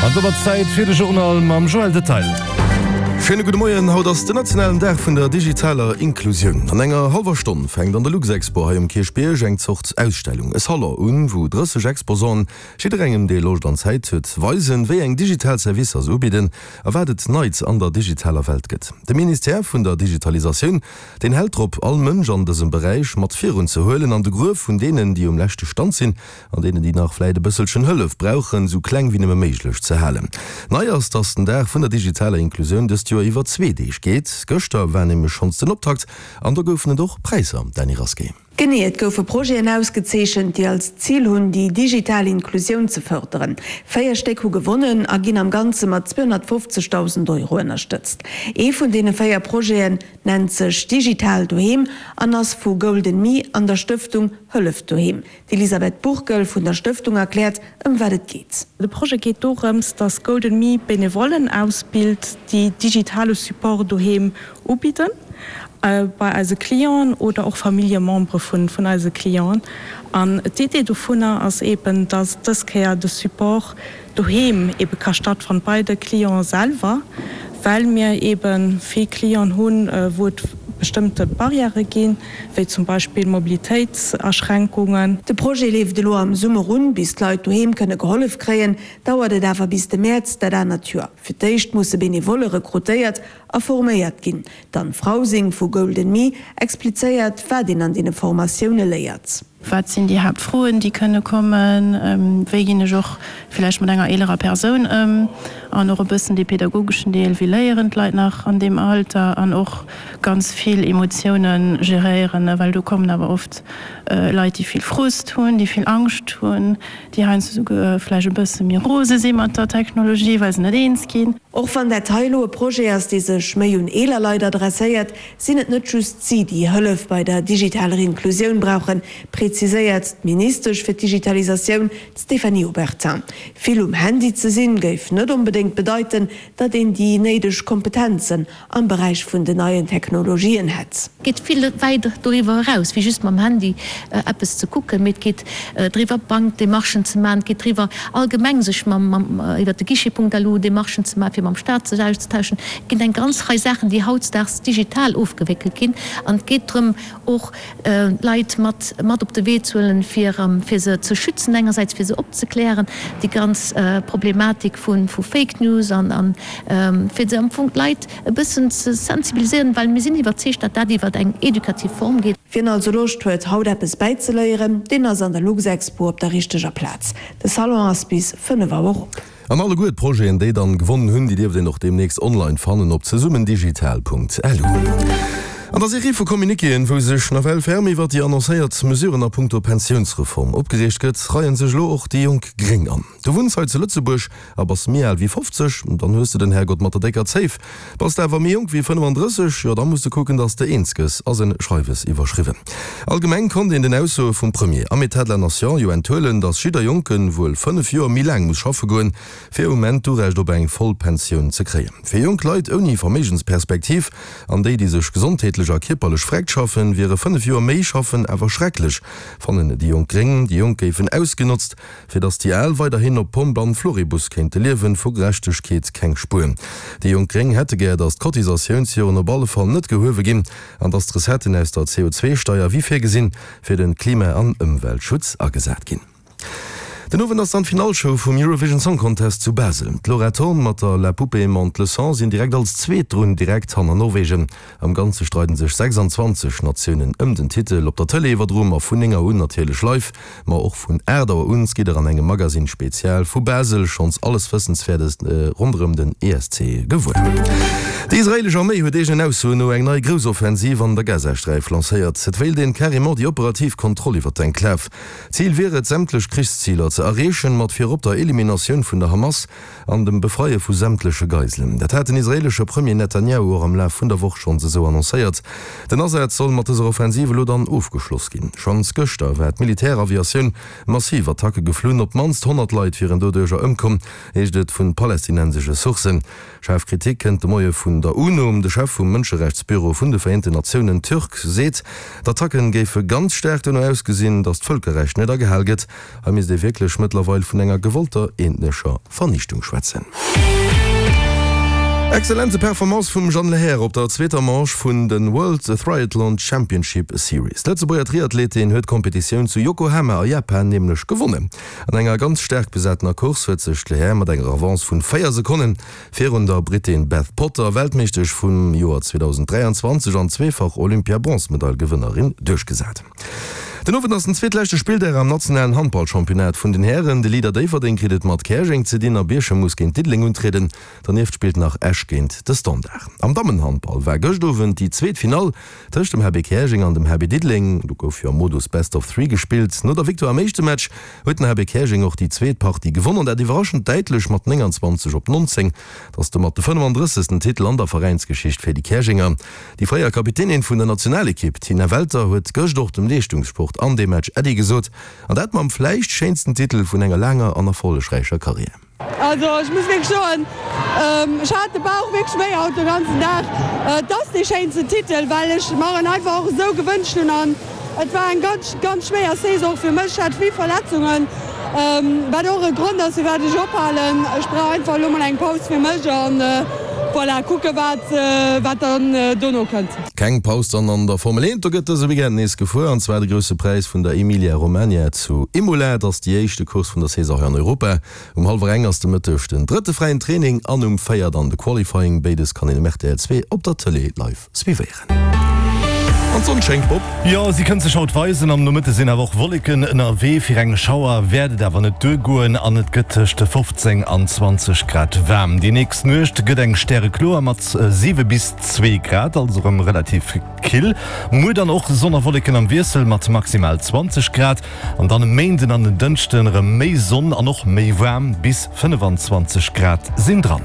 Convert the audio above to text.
An domat Zäit fir de Journal mam Joël Detail. Schéine gudde Moien. Haut ass den nationalen Dag vun der digitaler Inklusioun. An enger hallwer Stonn fänkt an der Luxexpo hei um Kierchbierg eng Zort Ausstellung, e Salon un, wou 30 Exposanten, jidderengem dee Loscht an Zäit huet, weisen, wéi eng digital Servicer se ubidden a wat et Neits an der digitaler Welt gëtt. De Ministère vun der Digitalisatioun, deen hält drop, all Mënsch an dësem Beräich mat virun ze huelen an de Gruef vun deenen, déi um leschte Stand sinn, an deenen, déi nach vläit e bësselchen Hëllef brauchen, esou kleng wéi nëmme méiglech ze halen. Nei ass, dass den Dag vun der digitaler Inklusioun dëst Joer iwwer zwee Deeg geet. Gëschter war nämlech schonns den Optakt an do goufen et och Präisser, Dany Rasqué. Genee, et goufe Projeten ausgezeechent, déi als Zil hunn, déi digital Inklusioun ze fërderen. 4 Stéck hu gewonnen a ginn am Ganze mat 250.000 Euro ënnerstëtzt. Ee vun deene 4 Projeten nennt sech Digital Doheem an ass vu Golden Me an der Stëftung Hëllef Doheem. D'Elisabeth Burkel vun der Stëftung erkläert, ëm wat et geet. De Projet geet dorëms, datt Golden Me Benevollen ausbilt, déi digitale Support doheem ubidden, bei eise Clienten oder och Familljemembere vun eise Clienten. An d'Idee dovunner ass eeben, datt dës Kéier de Support doheem ebe ka stattfannen, bei de Clienten selwer, well mir ebe vill Clienten hunn, wou et bestëmmte Barrièrë ginn, wéi zum Beispill Mobilitéitsaschränkungen. De Projet leeft elo am Summer un. Bis d'Leit doheem kënne gehollef kréien, dauert et awer bis de Mäerz dat anert Joer. Fir d'éischt musse Benevolle rekrutéiert a forméiert ginn. D'Anne Frausing vu Golden Me explizéiert, wat een an deene Formatioune léiert. Wat sinn déi Haaptfroen, déi kënne kommen? Wéi ginn ech och villäicht mat enger eelerer Persoun ëm? An och e bëssen dee pedagogeschen Deel, wéi léieren d'Leit nach an deem Alter? An och ganz vill Emotioune geréieren, well do kommen awer oft Leit, déi vill Frust hunn, déi vill Angscht hunn, déi heiansdo souguer vläicht e bësse méi rose si mat der Technologie, well se net eens ginn. Och wann dat hei elo e Projet ass, dee sech méi un eeler Leit adresséiert, sinn et net just si, déi Hëllef bei der digitaler Inklusioun brauchen, preziséiert d'Ministesch fir d'Digitalisatioun, d'Stéphanie Obertin. Vill um Handy ze sinn, géif net onbedéngt bedeiten, datt een déi néideg Kompetenzen am Beräich vun den neien Technologien hätt. Et geet vill wäit doriwwer eraus, wéi just mam Handy eppes ze kucken, mee et geet driwwer, Bankdemarchen ze maachen, et geet driwwer, allgemeng sech mam, iwwer de Guichet.lu Demarchen ze maachen, fir mam Staat sech auszetauschen. Et ginn eng ganz Rei Saachen, déi hautdesdaags digital ofgewéckelt ginn an et geet drëm, och d'Leit mat mat op de Wee ze huelen, fir fir se ze schützen engersäits, fir se opzeklären, déi ganz Problematik vu vu Fake News an an fir se am Fong d'Leit e bëssen ze sensibiliséieren, well mir sinn iwwerzeegt, datt dat iwwert eng edukativ Form geet. Wien also Loscht huet, haut eppes bäizeléieren, deen ass an der Luxexpo op der richteger Plaz. De Salon ass bis 5 Auer op. An alleguer d'Projeten, déi dann gewonnen hunn, déi dierft een och deemnächst online fannen op zesummendigital.lu. An der Serie vu Communiquéen, wou sech nawell ferm iwwert déi annoncéiert Mesuren a punkto Pensiounsreform opgereegt gëtt, reien sech elo och déi jonk Gréng an. Du wunns hei zu Lëtzebuerg a bass méi al wéi 50? Dann hues de den Herrgott mat der décker Zéif. Bass de awer méi jonk wéi 35, jo da muss de kucken, dass de eens gëss, ass en Schreiwes iwwerschriwwen. Allgemeng konnt een den Aussoe vum Premier am Etat de la Nation jo enthuelen, dass jidder Jonke wuel 5 Joer méi laang muss schaffe goen, fir um Enn d'Urecht op eng voll Pensioun ze kréien. Fir jonk Leit ouni Verméigensperspektiv an déi, déi sech gesondheetlech a kierperlech vreckt schaffen, wiere 5 Joer méi schaffen awer schrecklech, fannen déi jonk Gréng. Déi Jonk géifen ausgenotzt, Fir datt déi Al weiderhin op Pomp an Floribus kéinte liewen, vu Gerechtegkeet keng Spuer. Déi jonk Gréng hätte gär, datt d'Cotisatiounsjoren op alle Fall net gehuewe ginn an datt d'Recetten aus der CO2-Steier wéi virgesinn fir de Klima an Ëmweltschutz agesat ginn. Den Owend ass dann d'Finallshow vum Eurovision Song Contest zu Basel. D'Laura Thorn mat der La Poupée monte le son sinn direkt als Zweet drun, direkt hanner Norwegen. Am Ganze streiden sech 26 Natiounen ëm den Titel. Op der Tëlee iwwerdroe mer vun 9 Auer un natierlech live, ma och vun 8 Auer un gitt der an engem Magazine Spezial vu Basel schonns alles Wëssenswäertes ronderëm den ESC gewuer. Déi israeelesch Arméi huet eegenen Aussoen no eng nei Groussoffensiv an der Gazasträif lancéiert. Et wéilt een carrément déi operativ Kontroll iwwer d'Enklav. Zil wier et, sämtlech Krichsziler ze erreechen, mat virop der Eliminatioun vun der Hamas. An dem Befreie vu sämtleche Geiselen. Dat hat den israeelesche Premier Netanjahu och am Laf vun der Woch schonns esou annoncéiert. Den Asaz soll mat dëser Offensiv elo dann ofgeschloss ginn. Schonns gëschter war d'Militäraviatioun massiv Attacke geflunn. Op d'mannst 100 Leit wieren doduercher ëmkomm, heescht et vu palästinensesche Sourcen. Schaarf Kritik kënnt de Moie vun der UNO. De Chef vum Mënscherechtsbüro vun de Vereenten Natiounen Türk seet, d'Attacken géife ganz staark dono ausgesinn, datt d'Vëlkerrecht net agehal gëtt. Hei misst ee wierklech. wierklech mëttlerweil vun enger gewollter ethnescher Vernichtung schwätzen. Exzellente Performance vum Jeanne Lehair op der zweeter Manche vun de World Triathlon Championship Series. D'Lëtzebuerger Triathletin huet d'Kompetitioun zu Yokohama a Japan nämlech gewonnen. An enger ganz staark besatener Course huet sech d'Lehair mat enger Avance vun 4 Sekonnen virun der Brittin Beth Potter, Weltmeeschtesch vum Joer 2023 an zweefach Olympia-Bronzemedail-Gewënnerin, duerchgesat. Den Owend ass den zweetleschte Spilldag am nationalen Handballchampionnat vun den Hären. De Leader Déifferdeng kritt et mat Käerjeng ze dinn a Bierchem muss géint Diddeleng untrieden. Dernieft spillt nach Esch géint de Standard. Am Dammenhandball war gëscht Owend déi zweet Finall tëscht dem HB Käerjeng an dem HB Diddeleng. Do gouf jo am Modus Best of Three gespillt. No der Victoire am éischte Match huet den HB Käerjeng och déi zweet Partie gewonn an dat iwwerraschend däitlech mat 29 op 19. Et ass domat de 35. Titel an der Veräinsgeschicht fir déi Käerjenger. Déi fréier Kapitänin vun der Nationalekipp, Tina Welter, huet gëscht och dem Leeschtungssport an deem Match Äddi gesot. An dat mam vläicht schéinsten Titel vun enger laanger an erfollegräicher Karriär. Also ech muss wierklech soen, ech hat de Bauch wierklech wéi haut de ganzen Dag. Et ass dee schéinsten Titel, well ech mer en einfach och esou gewënscht hunn an et war eng ganz, ganz schwéier Saison fir mech. Ech hat vill Verletzungen, wat och e Grond ass firwat ech ophalen. Ech brauch einfach elo mol eng Paus fir mech an voilà, kucke wat, wat dann dono kënnt. Keng Paus dann an der Formel 1, do gëtt dëse Weekend nees gefuer an zwar de Grousse Präis vun der Emilia Romagna zu Imola. Et ass déi éischte Course vun der Saison hei an Europa. Um hallwer eng ass de Mëtteg den drëtte fräien Training an um 4 dann de Qualifying. Béides kann een um rtl 2 op der Tëlee live suivéieren. An d'Sonn schéngt, Bob. Jo, si kënnt sech haut weisen. Am Nomëtte sinn awer och Wolleken ënnerwee. Fir eng Schauer wäert et awer net duergoen an et gëtt tëscht 15 an 20 Grad waarm. Déi nächst Nuecht gëtt eng stärekloer mat 7 bis 2 Grad, also erëm relativ kill. Muer dann och Sonn a Wolleken am Wiessel mat maximal 20 Grad. An dann e Méinden an en Dënschden erëm méi Sonn an och méi waarm, bis 25 Grad sinn dran.